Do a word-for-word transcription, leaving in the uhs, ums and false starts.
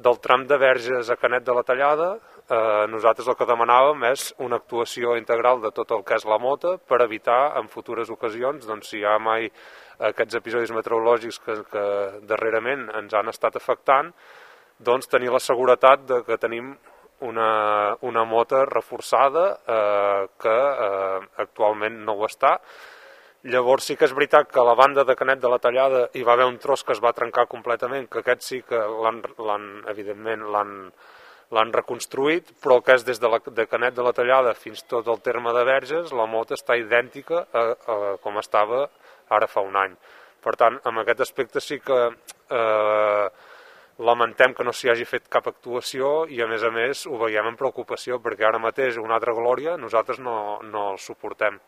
del tram de Verges a Canet de la Tallada, eh, nosaltres el que demanàvem és una actuació integral de tot el que és la mota per evitar en futures ocasions, doncs, si hi ha mai aquests episodis meteorològics que, que darrerament ens han estat afectant, doncs tenir la seguretat de que tenim una, una mota reforçada eh, que eh, actualment no ho està. Llavors sí que és veritat que a la banda de Canet de la Tallada hi va haver un tros que es va trencar completament, que aquest sí que l'han, l'han evidentment l'han, l'han reconstruït, però el que és des de, la, de Canet de la Tallada fins tot el terme de Verges, la mota està idèntica a, a com estava ara fa un any. Per tant, en aquest aspecte sí que eh, lamentem que no s'hi hagi fet cap actuació i a més a més ho veiem amb preocupació perquè ara mateix una altra glòria nosaltres no, no el suportem.